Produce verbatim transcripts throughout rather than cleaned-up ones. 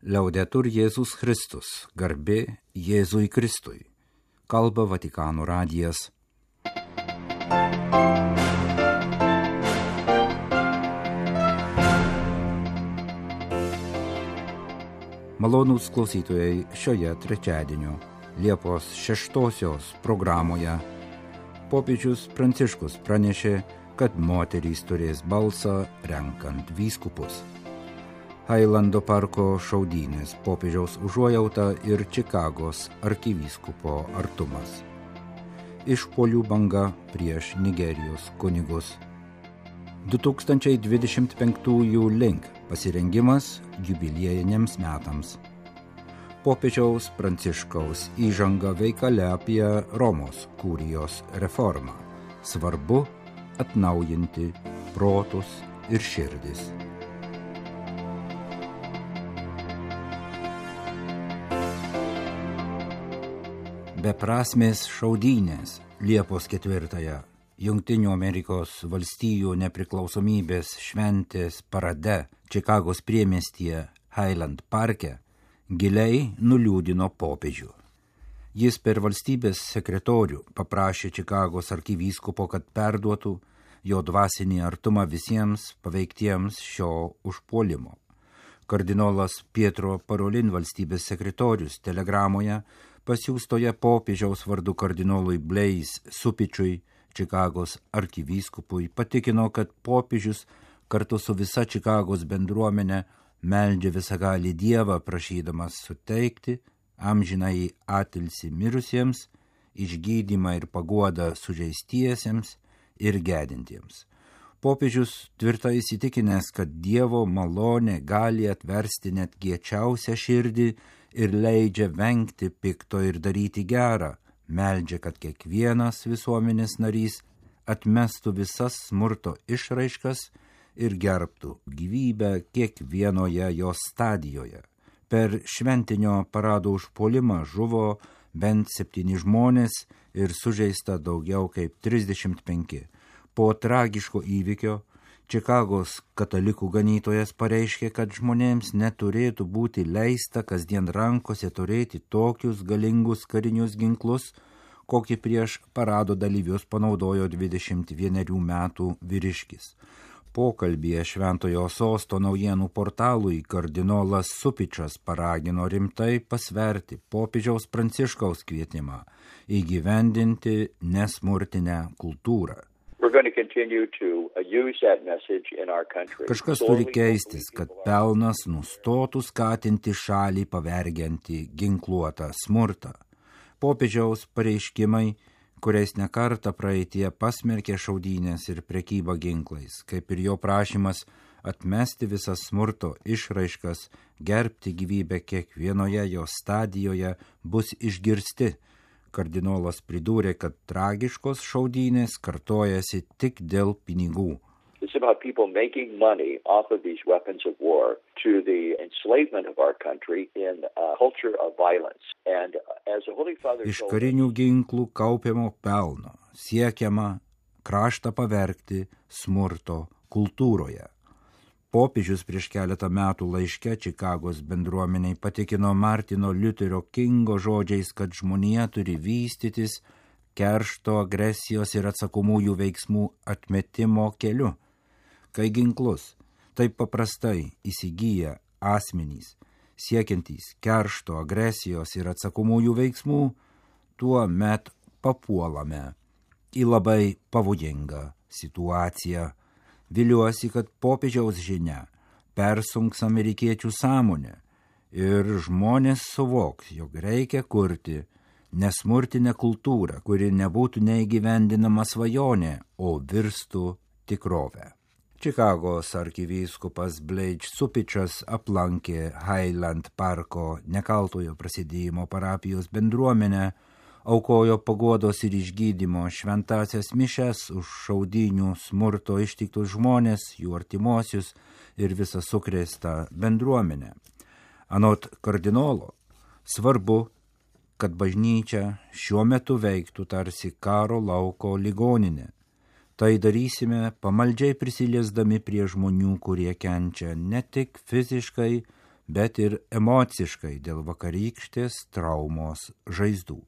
Liaudetur Jėzus Kristus, garbė Jėzui Kristui. Kalba Vatikano radijas. Malonūs klausytojai, šioje trečiadienio Liepos šeštosios programoje popiežius Pranciškus pranešė, kad moterys turės balsą renkant vyskupus. Hailando parko šaudynės, popiežiaus užuojauta ir Čikagos arkivyskupo artumas. Išpuolių banga prieš Nigerijos kunigus. du tūkstančiai dvidešimt penktųjų link pasirengimas jubiliejiniams metams. Popiežiaus Pranciškaus įžanga veikale apie Romos kurijos reformą. Svarbu atnaujinti protus ir širdis. Beprasmės šaudynės Liepos ketvirtąją Jungtinių Amerikos valstijų nepriklausomybės šventės parade Čikagos priemiestyje Highland parke giliai nuliūdino popiežių. Jis per valstybės sekretorių paprašė Čikagos arkivyskupo, kad perduotų jo dvasinį artumą visiems paveiktiems šio užpuolimo. Kardinolas Pietro Parolin, valstybės sekretorius, telegramoje pasiųstoje popiežiaus vardu kardinolui Blaise Supičiui, Čikagos arkivyskupui, patikino, kad popiežius kartu su visa Čikagos bendruomenė meldžia visagalį Dievą, prašydamas suteikti amžinąjį atilsį mirusiems, išgydymą ir paguodą sužeistiesiems ir gedintiems. Popiežius tvirtai įsitikinęs, kad Dievo malonė gali atversti net kiečiausią širdį ir leidžia vengti pikto ir daryti gerą, meldžia, kad kiekvienas visuomenės narys atmestų visas smurto išraiškas ir gerbtų gyvybę kiekvienoje jos stadijoje. Per šventinio parado užpuolimą žuvo bent septyni žmonės ir sužeista daugiau kaip trisdešimt penki. Po tragiško įvykio Čikagos katalikų ganytojas pareiškė, kad žmonėms neturėtų būti leista kasdien rankose turėti tokius galingus karinius ginklus, kokį prieš parado dalyvius panaudojo dvidešimt vienerių metų vyriškis. Pokalbyje Šventojo Sosto naujienų portalui kardinolas Supičas paragino rimtai pasverti popiežiaus Pranciškaus kvietimą įgyvendinti nesmurtinę kultūrą. Kažkas turi keistis, kad pelnas nustotų skatinti šalį pavergiantį ginkluotą smurtą. Popiežiaus pareiškimai, kuriais nekartą praeitie pasmerkė šaudynės ir prekybą ginklais, kaip ir jo prašymas atmesti visas smurto išraiškas, gerbti gyvybę kiekvienoje jos stadijoje, bus išgirsti. Kardinolas pridūrė, kad tragiškos šaudynės kartojasi tik dėl pinigų. It's about people making money off of these weapons of war to the enslavement of our country in a culture of violence. And as the Holy Father Iš karinių ginklų kaupiamo pelno siekiama kraštą pavergti smurto kultūroje. Popiežius prieš keletą metų laiške Čikagos bendruomeniai patikino Martino Liuterio Kingo žodžiais, kad žmonija turi vystytis keršto, agresijos ir atsakomųjų veiksmų atmetimo keliu. Kai ginklus taip paprastai įsigyja asmenys, siekiantys keršto, agresijos ir atsakomųjų veiksmų, tuo met papuolame į labai pavojingą situaciją. Viliuosi, kad popiežiaus žinia persunks amerikiečių sąmonę ir žmonės suvoks, jog reikia kurti nesmurtinę kultūrą, kuri nebūtų neįgyvendinama svajonė, o virstų tikrovę. Čikagos arkivyskupas Blaise Supičas aplankė Highland parko nekaltojo prasidėjimo parapijos bendruomenę, aukojo paguodos ir išgydymo šventąsias mišes už šaudynių smurto ištiktus žmonės, jų artimuosius ir visą sukrėstą bendruomenę. Anot kardinolo, svarbu, kad bažnyčia šiuo metu veiktų tarsi karo lauko ligoninė. Tai darysime pamaldžiai prisiliesdami prie žmonių, kurie kenčia ne tik fiziškai, bet ir emociškai dėl vakarykštės traumos žaizdų,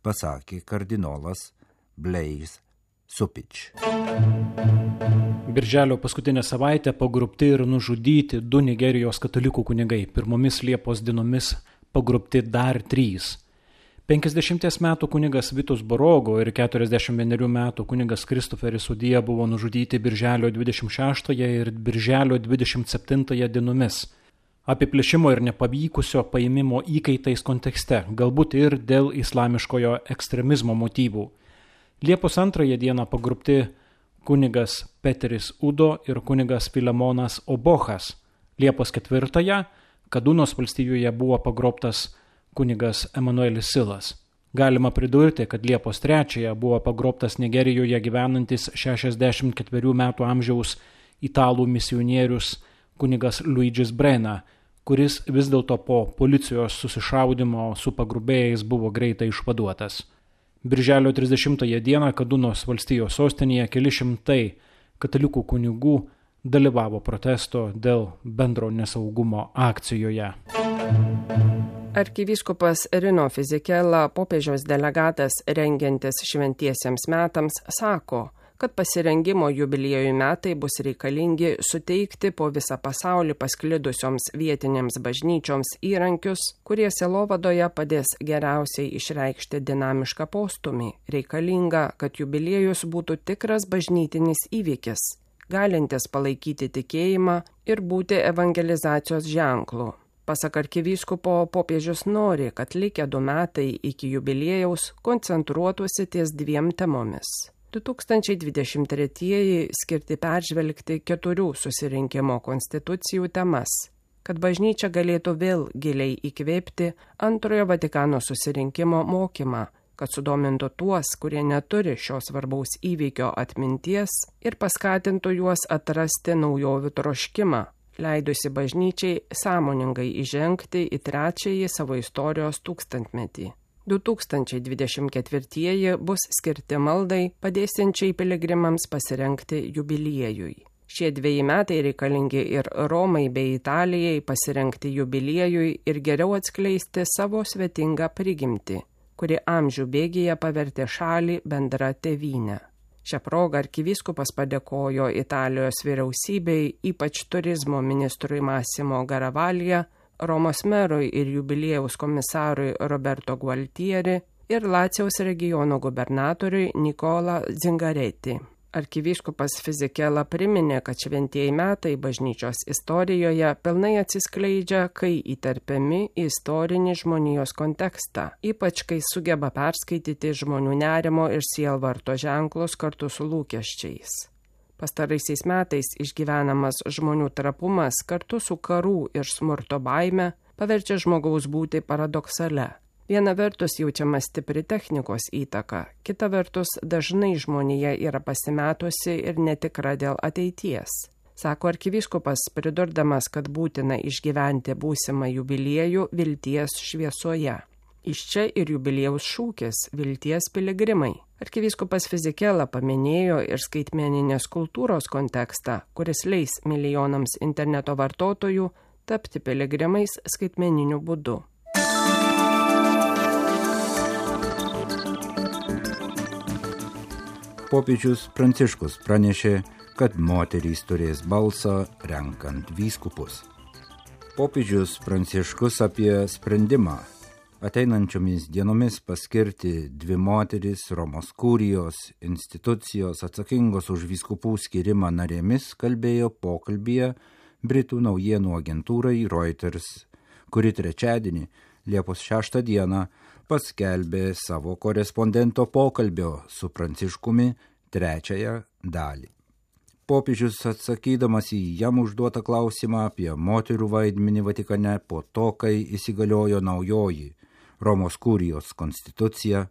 pasakė kardinolas Blaise Supič. Birželio paskutinę savaitę pagrobti ir nužudyti du Nigerijos katalikų kunigai. Pirmomis Liepos dienomis pagrobti dar trys. penkiasdešimties metų kunigas Vitus Borogo ir keturiasdešimt vienerių metų kunigas Kristoferis Udija buvo nužudyti birželio dvidešimt šeštąją ir birželio dvidešimt septintąją dienomis. Apiplėšimo ir nepavykusio paėmimo įkaitais kontekste, galbūt ir dėl islamiškojo ekstremizmo motyvų. Liepos antrąją dieną pagrobti kunigas Peteris Udo ir kunigas Filemonas Obochas. Liepos ketvirtąją Kadunos valstijoje buvo pagrobtas kunigas Emanuelis Silas. Galima pridurti, kad Liepos trečiąją buvo pagrobtas Nigerijoje gyvenantis šešiasdešimt ketverių metų amžiaus italų misionierius kunigas Luigis Brena, kuris vis dėlto po policijos susišaudymo su pagrobėjais buvo greitai išvaduotas. Birželio trisdešimtąją dieną Kadunos valstijos sostinėje keli šimtai katalikų kunigų dalyvavo protesto dėl bendro nesaugumo akcijoje. Arkivyskupas Rino Fisichella, popiežiaus delegatas rengiantis šventiesiems metams, sako, kad pasirengimo jubiliejų metai bus reikalingi suteikti po visą pasaulį pasklidusioms vietinėms bažnyčioms įrankius, kurie sielovadoje padės geriausiai išreikšti dinamišką postumį. Reikalinga, kad jubiliejus būtų tikras bažnytinis įvykis, galintis palaikyti tikėjimą ir būti evangelizacijos ženklu. Pasak arkivyskupo, popiežius nori, kad likę du metai iki jubiliejaus koncentruotųsi ties dviem temomis. du tūkstančiai dvidešimt tretieji skirti peržvelgti keturių susirinkimo konstitucijų temas, kad bažnyčia galėtų vėl giliai įkvėpti antrojo Vatikano susirinkimo mokymą, kad sudomintų tuos, kurie neturi šios svarbaus įvykio atminties ir paskatintų juos atrasti naujovių troškimą, leidusi bažnyčiai sąmoningai įžengti į trečiąjį savo istorijos tūkstantmetį. du tūkstančiai dvidešimt ketvirtieji bus skirti maldai, padėsiančiai piligrimams pasirengti jubiliejui. Šie dveji metai reikalingi ir Romai bei Italijai pasirengti jubiliejui ir geriau atskleisti savo svetingą prigimtį, kuri amžių bėgyje pavertė šalį bendra tėvynę. Šią progą arkivyskupas padėkojo Italijos vyriausybei, ypač turizmo ministrui Massimo Garavaglia, Romos merui ir jubiliejaus komisarui Roberto Gualtieri ir Lacijaus regiono gubernatoriui Nicola Zingaretti. Arkivyskupas Fisichella priminė, kad šventieji metai bažnyčios istorijoje pilnai atsiskleidžia, kai įterpiami į istorinį žmonijos kontekstą, ypač kai sugeba perskaityti žmonių nerimo ir sielvarto ženklus kartu su lūkesčiais. Pastaraisiais metais išgyvenamas žmonių trapumas kartu su karų ir smurto baime paverčia žmogaus būti paradoksale. Viena vertus jaučiama stipri technikos įtaka, kita vertus dažnai žmonija yra pasimetusi ir netikra dėl ateities. Sako arkivyskupas, pridurdamas, kad būtina išgyventi būsimą jubiliejų vilties šviesoje. Iš čia ir jubiliejaus šūkis – vilties piligrimai. Arkivyskupas Fisichella paminėjo ir skaitmeninės kultūros kontekstą, kuris leis milijonams interneto vartotojų tapti piligrimais skaitmeniniu būdu. Popiežius Pranciškus pranešė, kad moterys turės balsą renkant vyskupus. Popiežius Pranciškus apie sprendimą ateinančiomis dienomis paskirti dvi moteris Romos kurijos institucijos atsakingos už vyskupų skirimą narėmis kalbėjo pokalbyje Britų naujienų agentūrai Reuters, kuri trečiadienį, Liepos šeštą dieną, paskelbė savo korespondento pokalbio su Pranciškumi trečiąją dalį. Popiežius atsakydamas į jam užduotą klausimą apie moterų vaidmenį Vatikane po to, kai įsigaliojo naujoji Romos kurijos konstitucija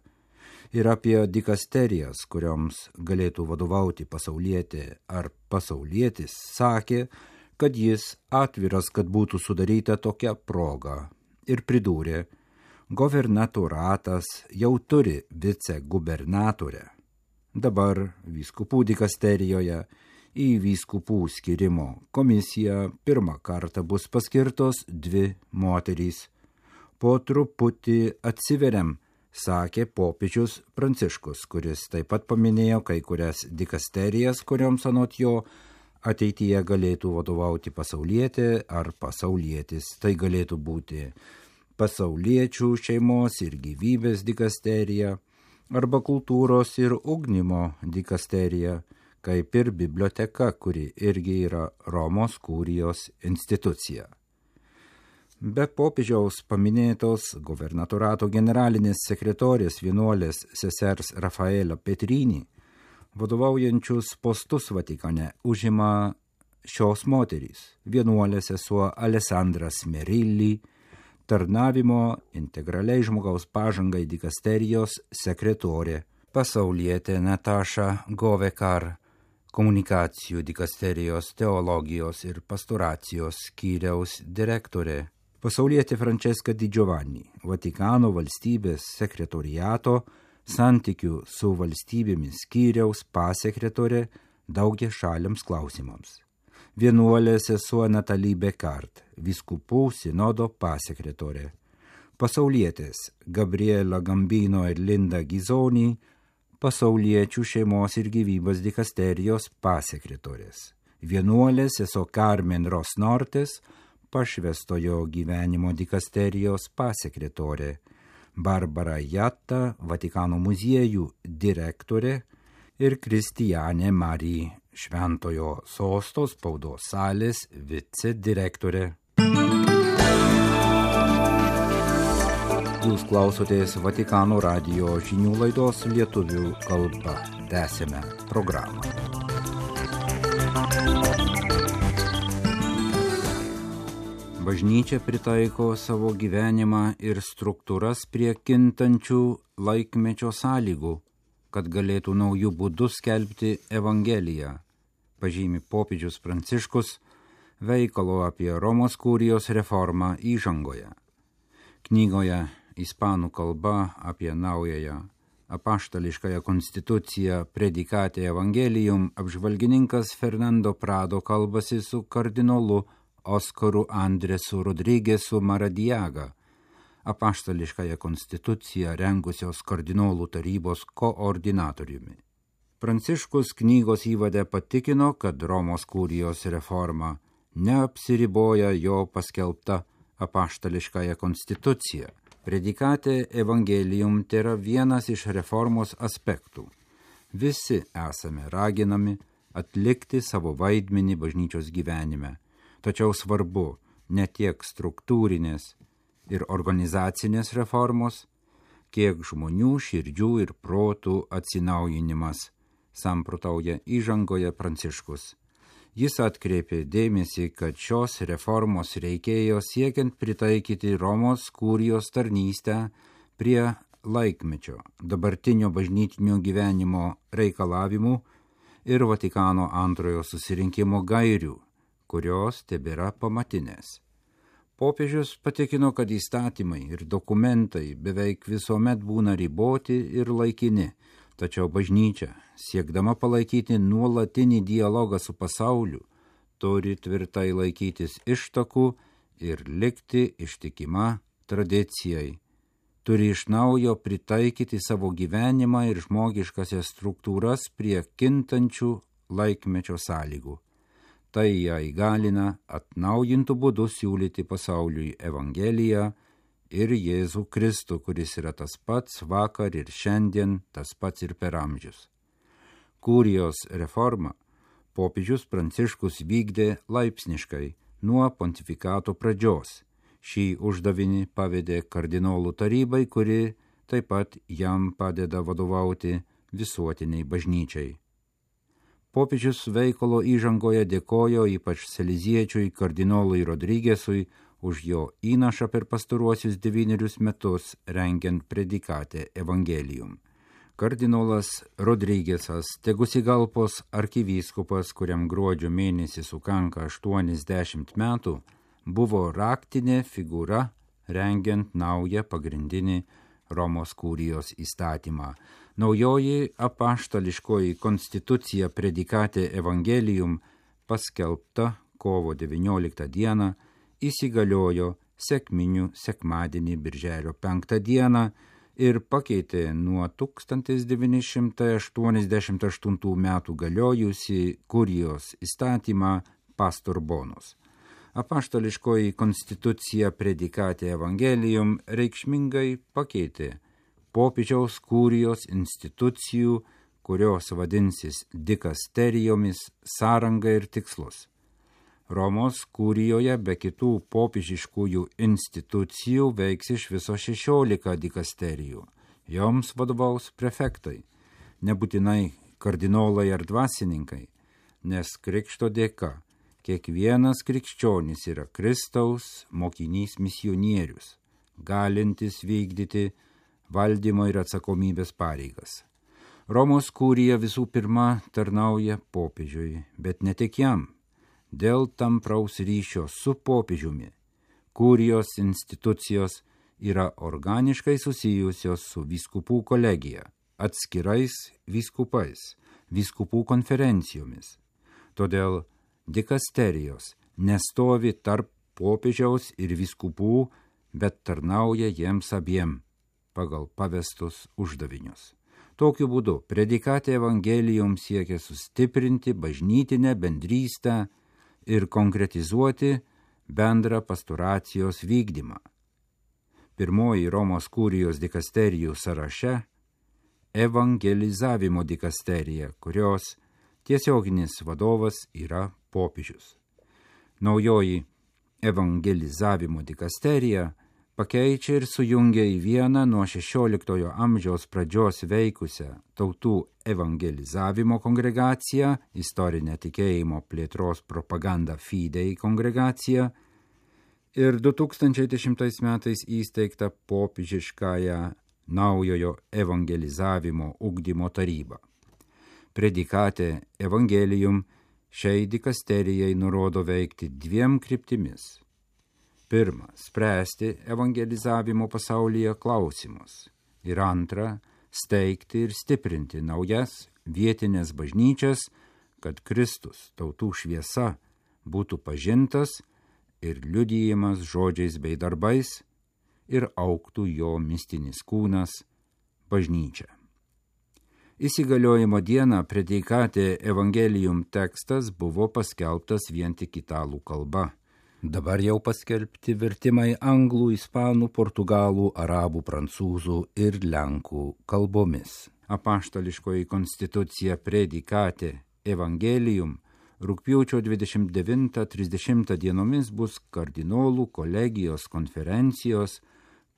ir apie dikasterijas, kurioms galėtų vadovauti pasaulietė ar pasaulietis, sakė, kad jis atviras, kad būtų sudaryta tokia proga ir pridūrė, governatoratas jau turi vicegubernatorę. Dabar vyskupų dikasterijoje Į vyskupų skirimo komisiją pirmą kartą bus paskirtos dvi moterys. Po truputį atsiveriam, sakė popiežius Pranciškus, kuris taip pat paminėjo kai kurias dikasterijas, kurioms anot jo ateityje galėtų vadovauti pasaulietė ar pasaulietis. Tai galėtų būti pasauliečių šeimos ir gyvybės dikasterija arba kultūros ir ugdymo dikasterija, kaip ir biblioteka, kuri irgi yra Romos kurijos institucija. Be popiežiaus paminėtos gubernatorato generalinės sekretorės vienuolės sesers Rafaela Petrini, vadovaujančius postus Vatikane užima šios moterys: vienuolė sesuo Alessandra Smerilli, tarnavimo integraliai žmogaus pažangai dikasterijos sekretorė, pasaulietė Nataša Govekar, komunikacijų dikasterijos teologijos ir pastoracijos skyriaus direktorė, pasaulietė Francesca Di Giovanni, Vatikano valstybės sekretoriato santykių su valstybėmis skyriaus pasekretorė daugiašaliams klausimams, vienuolė sesuo Natalie Bekart, vyskupų sinodo pasekretorė, pasaulietės Gabriela Gambino ir Linda Gizoni, pasauliečių šeimos ir gyvybės dikasterijos pasekretorės, vienuolė sesuo Carmen Rosnortes, pašvestojo gyvenimo dikasterijos pasekretorė, Barbara Jatta, Vatikano muziejų direktorė ir Kristijanė Mari, Šventojo sosto spaudos salės vicedirektorė. Jūs klausotės Vatikano radijo žinių laidos lietuvių kalba. Tęsėme programą. Bažnyčia pritaiko savo gyvenimą ir struktūras prie kintančių laikmečio sąlygų, kad galėtų naujų būdų skelbti Evangeliją, pažymi popiežius Pranciškus veikalo apie Romos kurijos reformą įžangoje. Knygoje ispanų kalba apie naująją apaštališkąją konstituciją Predicate Evangelium apžvalgininkas Fernando Prado kalbasi su kardinolu Oskaru Andresu Rodriguesu Maradiaga, apaštališkąją konstituciją rengusios kardinolų tarybos koordinatoriumi. Pranciškus knygos įvade patikino, kad Romos kurijos reforma neapsiriboja jo paskelbta apaštališkąją konstituciją. Predicate Evangelium tėra vienas iš reformos aspektų. Visi esame raginami atlikti savo vaidmenį bažnyčios gyvenime, tačiau svarbu ne tiek struktūrinės ir organizacinės reformos, kiek žmonių širdžių ir protų atsinaujinimas, samprotauja įžangoje Pranciškus. Jis atkreipė dėmesį, kad šios reformos reikėjo siekiant pritaikyti Romos kurijos tarnystę prie laikmečio, dabartinio bažnytinio gyvenimo reikalavimų ir Vatikano antrojo susirinkimo gairių, kurios tebėra pamatinės. Popiežius patikino, kad įstatymai ir dokumentai beveik visuomet būna riboti ir laikini, tačiau bažnyčia, siekdama palaikyti nuolatinį dialogą su pasauliu, turi tvirtai laikytis ištakų ir likti ištikima tradicijai. Turi iš naujo pritaikyti savo gyvenimą ir žmogiškasias struktūras prie kintančių laikmečio sąlygų. Tai ją įgalina atnaujintų būdų siūlyti pasauliui Evangeliją ir Jėzų Kristų, kuris yra tas pats vakar ir šiandien, tas pats ir per amžius. Kurijos reforma popiežius Pranciškus vykdė laipsniškai nuo pontifikato pradžios. Šį uždavinį pavedė kardinolų tarybai, kuri taip pat jam padeda vadovauti visuotiniai bažnyčiai. Popiežius veikalo įžangoje dėkojo ypač seliziečiui kardinolui Rodriguesui už jo įnašą per pastaruosius devynerius metus rengiant Predicate Evangelium. Kardinolas Rodriguesas, Tegucigalpos arkivyskupas, kuriam gruodžio mėnesį sukanka aštuoniasdešimt metų, buvo raktinė figūra rengiant naują pagrindinį Romos kurijos įstatymą. Naujoji apaštališkoji konstitucija Predikate Evangelium paskelbta kovo devynioliktą dieną įsigaliojo sekminių sekmadienį birželio penktą dieną ir pakeitė nuo tūkstantis devyni šimtai aštuoniasdešimt aštuntų metų galiojusi kurijos įstatymą Pastor Bonus. Apaštališkoji konstitucija Predikate Evangelium reikšmingai pakeitė popiežiaus kurijos institucijų, kurios vadinsis dikasterijomis, sąrangą ir tikslus. Romos kurijoje be kitų popiežiškųjų institucijų veiks iš viso šešiolika dikasterijų. Joms vadovaus prefektai, nebūtinai kardinolai ar dvasininkai, nes krikšto dėka kiekvienas krikščionis yra Kristaus mokinys misionierius, galintis vykdyti valdymo ir atsakomybės pareigas. Romos kurija visų pirma tarnauja popiežiui, bet ne tik jam. Dėl tampraus ryšio su popiežiumi, kurijos institucijos yra organiškai susijusios su vyskupų kolegija, atskirais vyskupais, vyskupų konferencijomis. Todėl dikasterijos nestovi tarp popiežiaus ir vyskupų, bet tarnauja jiems abiem pagal pavestus uždavinius. Tokiu būdu Predikate Evangelium siekia sustiprinti bažnytinę bendrystę ir konkretizuoti bendrą pastoracijos vykdymą. Pirmoji Romos kurijos dikasterijų sąraše evangelizavimo dikasterija, kurios tiesioginis vadovas yra popiežius. Naujoji evangelizavimo dikasterija pakeičia ir sujungia į vieną nuo šešioliktojo amžiaus pradžios veikusią tautų evangelizavimo kongregaciją, istorinę tikėjimo plėtros propagandą Fidei kongregaciją ir du tūkstančiai dešimtais metais įsteigtą popiežiškąją naujojo evangelizavimo ugdymo tarybą. Predikate Evangelium šiai dikasterijai nurodo veikti dviem kryptimis. Pirma, spręsti evangelizavimo pasaulyje klausimus. Ir antra, steigti ir stiprinti naujas vietinės bažnyčias, kad Kristus, tautų šviesa, būtų pažintas ir liudijimas žodžiais bei darbais ir augtų jo mistinis kūnas bažnyčia. Įsigaliojimo dieną Predikate Evangelium tekstas buvo paskelbtas vien tik italų kalba. Dabar jau paskelbti vertimai anglų, ispanų, portugalų, arabų, prancūzų ir lenkų kalbomis. Apaštališkoji konstitucija Predikate Evangelium rugpjūčio dvidešimt devintą trisdešimtą dienomis bus kardinolų kolegijos konferencijos,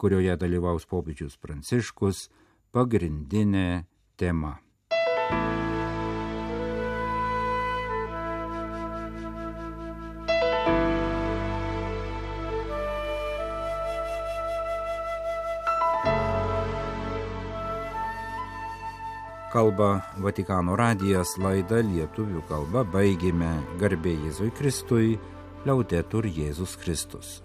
kurioje dalyvaus popiežius Pranciškus, pagrindinė tema. Kalba Vatikano radijas, laidą lietuvių kalba baigėme. Garbė Jėzui Kristui, Liaudetur Jėzus Kristus.